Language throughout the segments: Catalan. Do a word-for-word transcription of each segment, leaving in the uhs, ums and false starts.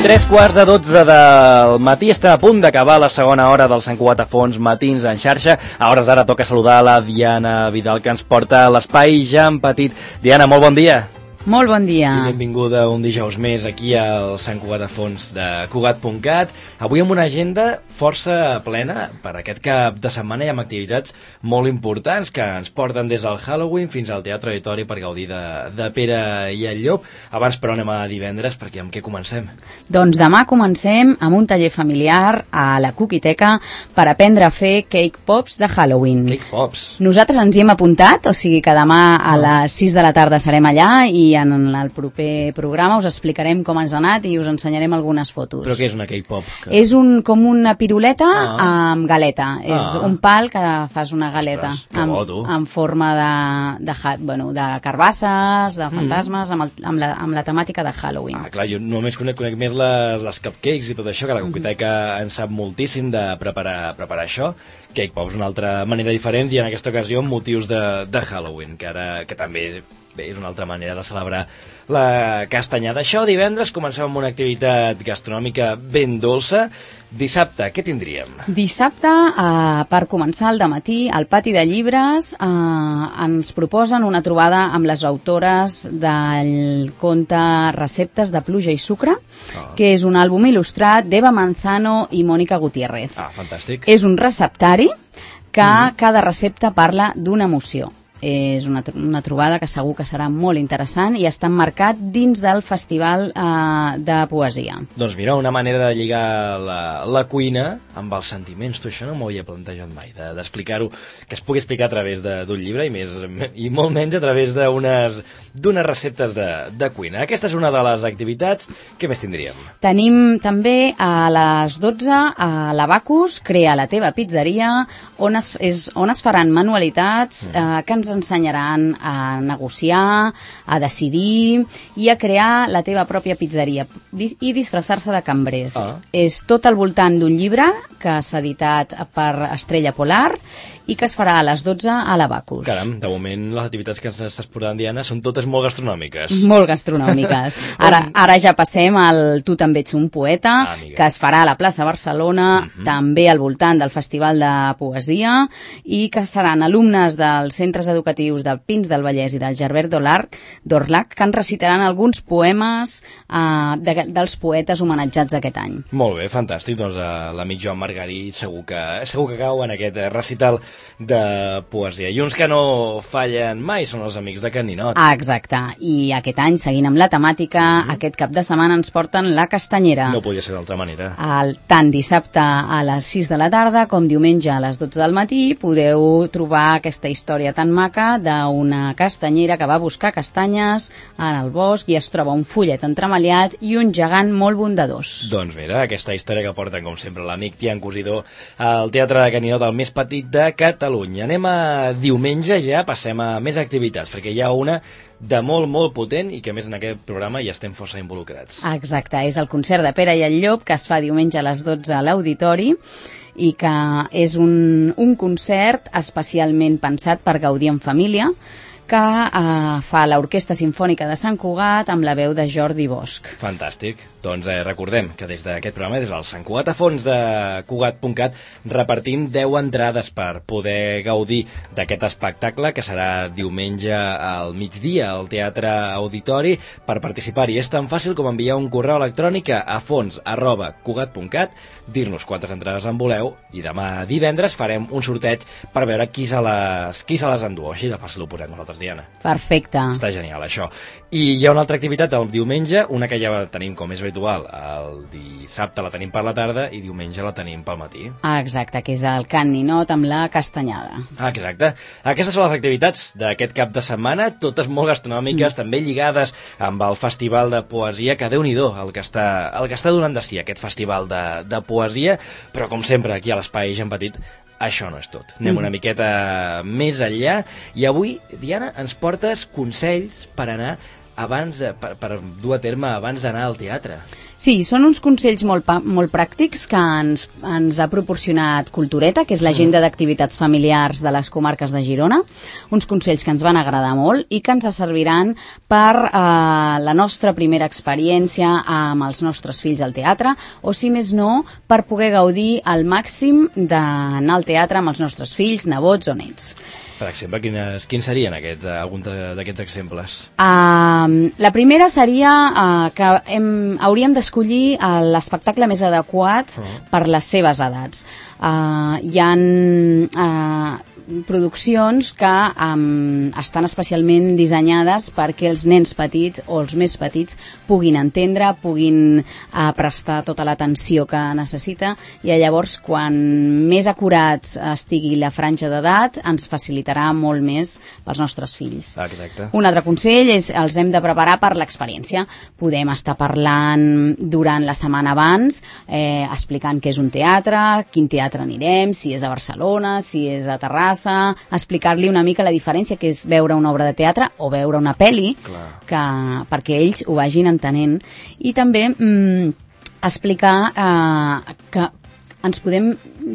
Tres quarts de dotze del matí, estem a punt d'acabar la segona hora del Sant Cugat a Fons Matins en xarxa. A hores d'ara toca saludar la Diana Vidal, que ens porta a l'espai Ja en Petit. Diana, molt bon dia. Molt bon dia. I benvinguda un dijous més aquí al Sant Cugat a Fons de Cugat punt cat. Avui amb una agenda força plena. Per aquest cap de setmana hi ha activitats molt importants que ens porten des del Halloween fins al Teatre Auditori per gaudir de, de Pere i el Llop. Abans, però, anem a divendres, perquè amb què comencem? Doncs demà comencem amb un taller familiar a la Cookiteca per aprendre a fer cake pops de Halloween. Cake pops. Nosaltres ens hi hem apuntat, o sigui que demà a les sis de la tarda serem allà i en el proper programa us explicarem com ens ha anat i us ensenyarem algunes fotos. Però què és una cake pop? Que... És un, com una piruleta ah. amb galeta. Ah. És un pal que fas una galeta. Ostres, amb, bo, amb forma de, de, bueno, de carbasses, de fantasmes, mm. amb, el, amb, la, amb la temàtica de Halloween. Ah, clar, jo només conec, conec més les, les cupcakes i tot això, que la Cookiteca mm-hmm. en sap moltíssim de preparar, preparar això. Cake pops, una altra manera diferent, i en aquesta ocasió amb motius de, de Halloween, que ara que també bé, és una altra manera de celebrar la castanyada. Això divendres comencem amb una activitat gastronòmica ben dolça. Dissabte, què tindríem? Dissabte, eh, per començar al dematí, al Pati de Llibres, eh, ens proposen una trobada amb les autores del conte Receptes de pluja i sucre, ah. que és un àlbum il·lustrat d'Eva Manzano i Mònica Gutiérrez. Ah, fantàstic. És un receptari que mm. cada recepta parla d'una emoció. És una, una trobada que segur que serà molt interessant i està emmarcat dins del Festival eh, de Poesia. Doncs mira, una manera de lligar la, la cuina amb els sentiments. Tu això no m'ho havia plantejat mai, d'explicar-ho, de, que es pugui explicar a través d'un llibre i, més, i molt menys a través d'unes d'unes receptes de, de cuina. Aquesta és una de les activitats. Què més tindríem? Tenim també a les dotze a l'Abacus, Crea la teva pizzeria, on es, és, on es faran manualitats mm. eh, que ens ensenyaran a negociar, a decidir i a crear la teva pròpia pizzeria i disfressar-se de cambrers. Ah. És tot al voltant d'un llibre que s'ha editat per Estrella Polar i que es farà a les dotze a l'Abacus. Caram, de moment les activitats que ens estàs portant, Diana, són totes molt gastronòmiques. Molt gastronòmiques. Ara, ara ja passem al Tu també ets un poeta, ah, que es farà a la plaça Barcelona, uh-huh. també al voltant del Festival de Poesia, i que seran alumnes dels centres educatius del Pins del Vallès i del Gerbert d'Orlac que en recitaran alguns poemes eh, de, dels poetes homenatjats aquest any. Molt bé, fantàstic. Doncs uh, l'amic Joan Margarit segur que, segur que cau en aquest recital de poesia. I uns que no fallen mai són els amics de Can Ninot. Ah, exacte. I aquest any, seguint amb la temàtica, mm-hmm. aquest cap de setmana ens porten la castanyera. No podia ser d'altra manera. El, tant dissabte a les sis de la tarda com diumenge a les dotze del matí podeu trobar aquesta història tan maca d'una castanyera que va buscar castanyes en el bosc i es troba un follet entremaliat i un gegant molt bondadós. Doncs mira, aquesta història que porten, com sempre, l'amic Tian Cosidor al Teatre de Can Ninot, el més petit de Catalunya. Anem a diumenge ja, passem a més activitats, perquè hi ha una de molt, molt potent i que a més en aquest programa ja estem força involucrats. Exacte, és el concert de Pere i el Llop que es fa diumenge a les dotze a l'Auditori i que és un, un concert especialment pensat per gaudir en família que eh, fa l'Orquestra Simfònica de Sant Cugat amb la veu de Jordi Bosch. Fantàstic. Doncs eh, recordem que des d'aquest programa, des del Sant Cugat a Fons de Cugat punt cat, repartim deu entrades per poder gaudir d'aquest espectacle que serà diumenge al migdia al Teatre Auditori. Per participar-hi és tan fàcil com enviar un correu electrònic a fons arroba cugat punt cat, dir-nos quantes entrades en voleu i demà divendres farem un sorteig per veure qui se les, qui se les endú. Així de fàcil ho posem nosaltres, Diana. Perfecte. Està genial, això. I hi ha una altra activitat el diumenge, una que ja tenim com és habitual, el dissabte la tenim per la tarda i diumenge la tenim pel matí. Ah, exacte, que és el Can Ninot amb la castanyada. Ah, exacte. Aquestes són les activitats d'aquest cap de setmana, totes molt gastronòmiques, mm. també lligades amb el Festival de Poesia, que Déu-n'hi-do el que està, el que està donant de si aquest Festival de, de Poesia, però com sempre aquí a l'Espai Ja en Petit això no és tot. Anem mm. una miqueta més enllà i avui, Diana, ens portes consells per anar abans de, per, per dur a terme abans d'anar al teatre. Sí, són uns consells molt, molt pràctics que ens, ens ha proporcionat Cultureta, que és l'agenda d'activitats familiars de les comarques de Girona, uns consells que ens van agradar molt i que ens serviran per eh, la nostra primera experiència amb els nostres fills al teatre, o si més no, per poder gaudir al màxim d'anar al teatre amb els nostres fills, nebots o nets. Per exemple, quines, quins serien aquests, alguns d'aquests exemples? Uh, la primera seria uh, que hem, hauríem d'escollir uh, l'espectacle més adequat uh-huh. per les seves edats. Uh, hi ha uh, produccions que um, estan especialment dissenyades perquè els nens petits o els més petits puguin entendre, puguin uh, prestar tota l'atenció que necessita, i llavors quan més acurats estigui la franja d'edat ens facilitarà molt més pels nostres fills. Ah, exacte. Un altre consell és els hem de preparar per l'experiència. Podem estar parlant durant la setmana abans, eh, explicant què és un teatre, quin teatre anirem, si és a Barcelona, si és a Terrassa, explicar-li una mica la diferència que és veure una obra de teatre o veure una pel·li, que, perquè ells ho vagin entenent. I també mm, explicar eh, que ens podem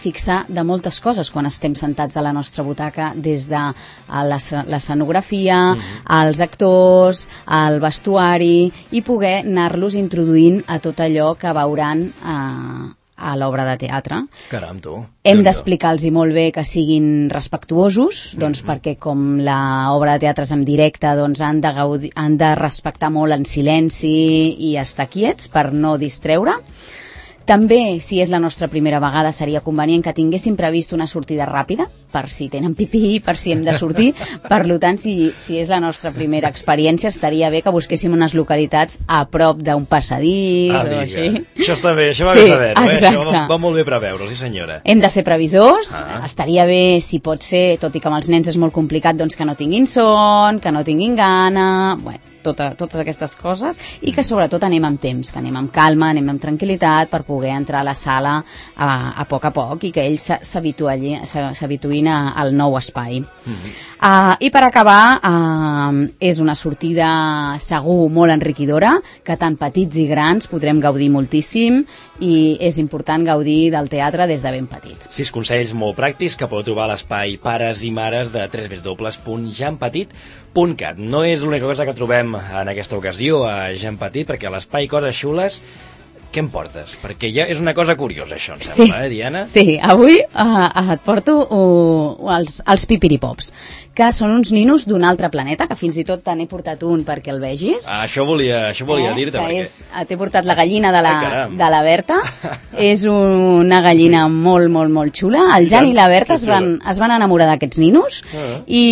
fixar de moltes coses quan estem sentats a la nostra butaca, des de l'escenografia, mm-hmm. els actors, el vestuari, i poder anar-los introduint a tot allò que veuran eh, a l'obra de teatre. Caram, tu. Hem d'explicar-los molt bé que siguin respectuosos, doncs mm-hmm. perquè com l'obra de teatre és en directe, doncs han de, gaudir, han de respectar molt en silenci i estar quiets per no distreure. També, si és la nostra primera vegada, seria convenient que tinguéssim previst una sortida ràpida, per si tenen pipí, per si hem de sortir. Per tant, si, si és la nostra primera experiència, estaria bé que busquéssim unes localitats a prop d'un passadís ah, o així. Això està bé, això va sí, bé saber-ho, eh? Això va, va molt bé preveure, sí senyora. Hem de ser previsors, ah. estaria bé, si pot ser, tot i que amb els nens és molt complicat, doncs que no tinguin son, que no tinguin gana, bueno, Tota, totes aquestes coses, i que sobretot anem amb temps, que anem amb calma, anem amb tranquil·litat per poder entrar a la sala a, a poc a poc i que ells s'habituïn al nou espai. Mm-hmm. uh, I per acabar, uh, és una sortida segur molt enriquidora, que tant petits i grans podrem gaudir moltíssim, i és important gaudir del teatre des de ben petit. Sis consells molt pràctics que podeu trobar a l'espai Pares i Mares de w w w punt jan petit punt cat. No és l'única cosa que trobem en aquesta ocasió a Jan Petit, perquè a l'espai Coses Xules, què em portes? Perquè ja és una cosa curiosa, això, em sembla, sí, eh, Diana? Sí, avui uh, et porto uh, els, els pipiripops, que són uns ninos d'un altre planeta, que fins i tot te n'he portat un perquè el vegis. Ah, això volia, això volia eh? dir-te. Perquè... És, t'he portat la gallina de la, ah, de la Berta. És una gallina molt, molt, molt xula. El Jan i la Berta es van, es van enamorar d'aquests ninos ah. i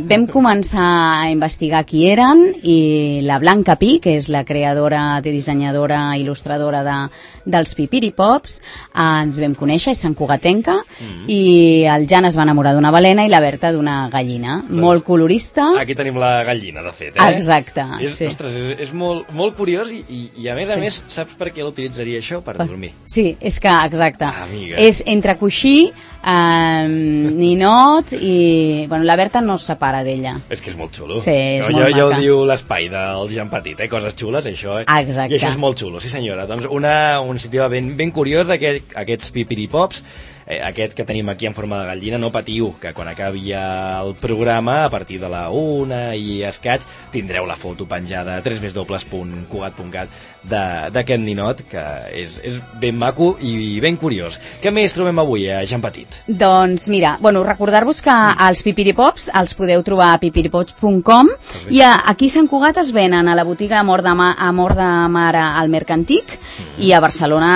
vam començar a investigar qui eren, i la Blanca Pi, que és la creadora, dissenyadora, il·lustradora de, dels pipiripops, eh, ens vam conèixer, és santcugatenca, mm. i el Jan es va enamorar d'una balena i la Berta d'una gallina, doncs, molt colorista. Aquí tenim la gallina, de fet, eh? Exacte, és, sí. Ostres, és, és molt, molt curiós i, i, i a més sí. a més, saps per què l'utilitzaria això? Per dormir. Sí, és que, exacte. Ah, és entre coixí, eh, ninot i... Bueno, la Berta no es separa d'ella. És que és molt xulo. Sí, és jo, molt jo, maca. Ja ho diu l'espai del Jan Petit, eh? Coses xules, això, eh? Exacte. I això és molt xulo, sí senyora. Doncs una, una iniciativa ben, ben curiosa d'aquests aquest, pipiripops, eh, aquest que tenim aquí en forma de gallina. No patiu, que quan acabi el programa, a partir de la una i escaig, tindreu la foto penjada a w w w punt cugat punt cat d'aquest ninot, que és, és ben maco i ben curiós. Què més trobem avui a Jan Petit? Doncs mira, bueno, recordar-vos que els pipiripops els podeu trobar a pipiripops punt com, i a, aquí a Sant Cugat es venen a la botiga Amor de, Ma, Amor de Mare al Mercantic, mm. i a Barcelona,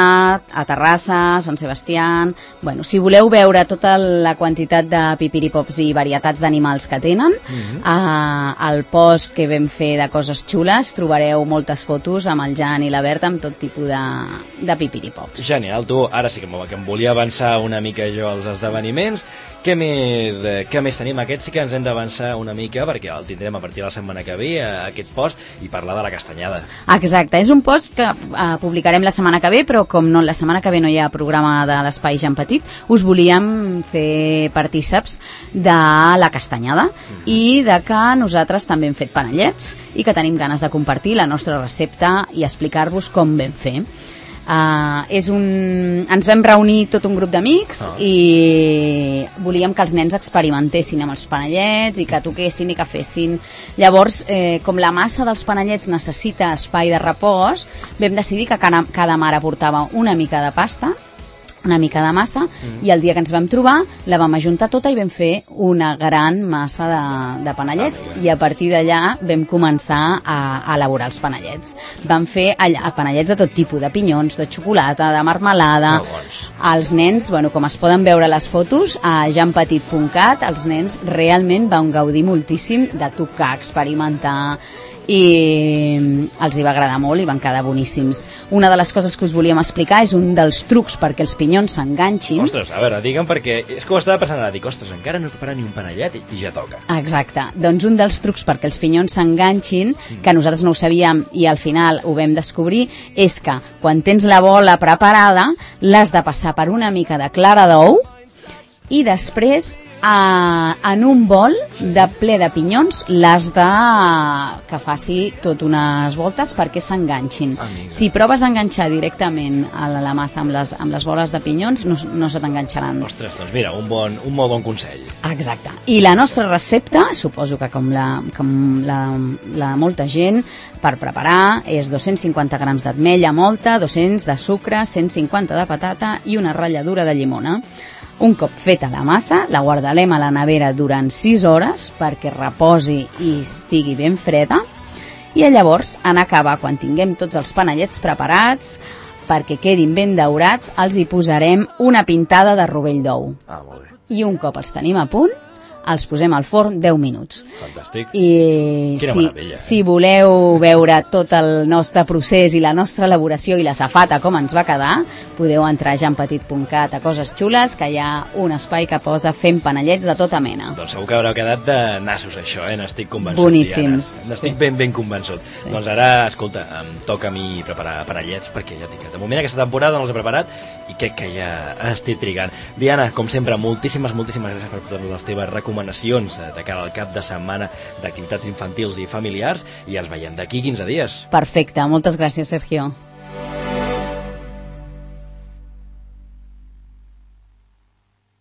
a Terrassa, Sant Sebastià. Bueno, si voleu veure tota la quantitat de pipiripops i varietats d'animals que tenen, mm-hmm. eh, al post que vam fer de Coses Xules trobareu moltes fotos amb el Jan Dani i la Berta amb tot tipus de, de pipiripops. Genial, tu, ara sí que, que em volia avançar una mica jo als esdeveniments. Què més, eh, què més tenim? Aquest sí que ens hem d'avançar una mica perquè el tindrem a partir de la setmana que ve, eh, aquest post, i parlar de la castanyada. Exacte, és un post que eh, publicarem la setmana que ve, però com no, la setmana que ve no hi ha programa de l'Espai Jan Petit, us volíem fer partíceps de la castanyada mm-hmm. i de que nosaltres també hem fet panellets i que tenim ganes de compartir la nostra recepta i explicar-vos com vam fer. Uh, és un... Ens vam reunir tot un grup d'amics oh. i volíem que els nens experimentessin amb els panellets i que toquessin i que fessin. Llavors, eh, com la massa dels panellets necessita espai de repòs, vam decidir que cada, cada mare portava una mica de pasta, una mica de massa, mm. i el dia que ens vam trobar la vam ajuntar tota i vam fer una gran massa de, de panellets ah, i a partir d'allà vam començar a, a elaborar els panellets. Vam fer allà panellets de tot tipus, de pinyons, de xocolata, de marmelada. Ah, els nens, bueno, com es poden veure a les fotos, a jan petit punt cat, els nens realment van gaudir moltíssim de tocar, experimentar, i els hi va agradar molt i van quedar boníssims. Una de les coses que us volíem explicar és un dels trucs perquè els pinyons s'enganxin. Ostres, a veure, digue'm, perquè és que ho estava passant ara, dic, ostres, encara no he preparat ni un panellet i ja toca. Exacte, doncs un dels trucs perquè els pinyons s'enganxin, mm. que nosaltres no ho sabíem i al final ho vam descobrir, és que quan tens la bola preparada l'has de passar per una mica de clara d'ou i després a, en un bol de ple de pinyons l'has de que faci tot unes voltes perquè s'enganxin. Amiga. Si proves d'enganxar directament a la, la massa amb les, amb les boles de pinyons no, no se t'enganxaran. Ostres, doncs mira, un, bon, un molt bon consell. Exacte. I la nostra recepta, suposo que com la, com la, la molta gent, per preparar és dos-cents cinquanta grams d'ametlla molta, dos-cents de sucre, cent cinquanta de patata i una ratlladura de llimona. Un cop feta la massa, la guardarem a la nevera durant sis hores perquè reposi i estigui ben freda i llavors, en acabar, quan tinguem tots els panellets preparats, perquè quedin ben daurats, els hi posarem una pintada de rovell d'ou. Ah, molt bé. I un cop els tenim a punt, els posem al forn deu minuts. Fantàstic. I Quina si, meravella. Si voleu veure tot el nostre procés i la nostra elaboració i la safata com ens va quedar, podeu entrar a jan petit punt cat a Coses Xules, que hi ha un espai que posa fent panellets de tota mena. Doncs segur que haurà quedat de nassos això, eh? N'estic convençut. Boníssims. N'estic sí. ben, ben convençut. Sí. Doncs ara, escolta, em toca a mi preparar panellets perquè ja dic que de moment aquesta temporada no els he preparat i crec que ja estic trigant. Diana, com sempre, moltíssimes, moltíssimes gràcies per totes les teves recomanacions de cara al cap de setmana d'activitats infantils i familiars i ens veiem d'aquí quinze dies. Perfecte, moltes gràcies, Sergio.